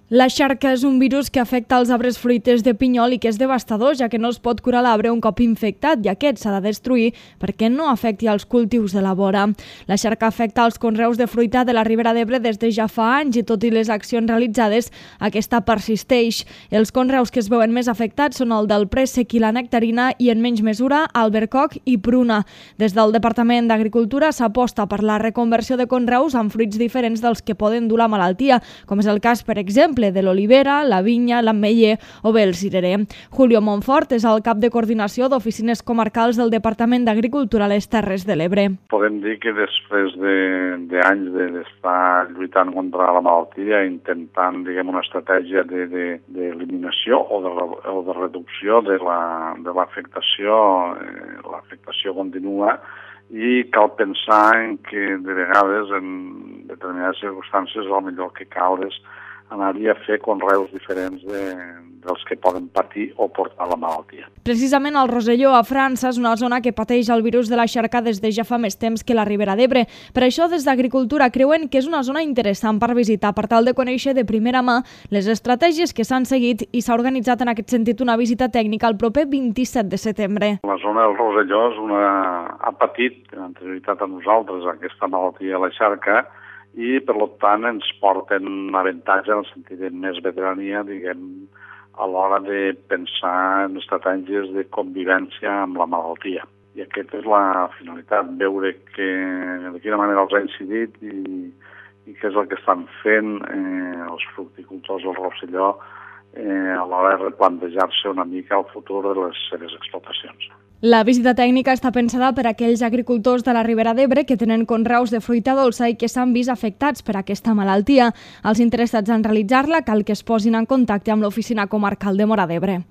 La xarca és un virus que afecta els arbres fruiters de pinyol i que és devastador, ja que no es pot curar l'arbre un cop infectat i aquest s'ha de destruir perquè no afecti els cultius de la vora. La xarca afecta els conreus de fruita de la Ribera d'Ebre des de ja fa anys i tot i les accions realitzades, aquesta persisteix. Els conreus que es veuen més afectats són el del préssec i la nectarina i en menys mesura albercoc i pruna. Des del Departament d'Agricultura s'aposta per la reconversió de conreus amb fruits diferents dels que poden dur la malaltia, com és el cas, per exemple, de l'olivera, la vinya, l'ametller o bé el cirerer. Julio Montfort és el cap de coordinació d'oficines comarcals del Departament d'Agricultura a les Terres de l'Ebre. Podem dir que després d'anys d'estar lluitant contra la malaltia, intentant, una estratègia d'eliminació o de reducció de l'afectació, l'afectació continua, i cal pensar en que de vegades en determinades circumstàncies el millor que cal és anar-hi a fer conreus diferents dels que poden patir o portar la malaltia. Precisament el Rosselló, a França, és una zona que pateix el virus de la xarca des de ja fa més temps que la Ribera d'Ebre. Per això, des d'Agricultura creuen que és una zona interessant per visitar, per tal de conèixer de primera mà les estratègies que s'han seguit i s'ha organitzat en aquest sentit una visita tècnica el proper 27 de setembre. La zona del Rosselló ha patit, en anterioritat a nosaltres, aquesta malaltia a la xarca, i per tant ens porten avantatge en el sentit de més veterania, a l'hora de pensar en estratègies de convivència amb la malaltia. I aquesta és la finalitat, veure de quina manera els ha incidit i què és el que estan fent els fructicultors del Rosselló a l'hora de replantejar-se una mica el futur de les seves explotacions. La visita tècnica està pensada per a aquells agricultors de la Ribera d'Ebre que tenen conreus de fruita dolça i que s'han vist afectats per aquesta malaltia. Els interessats en realitzar-la cal que es posin en contacte amb l'oficina comarcal de Móra d'Ebre.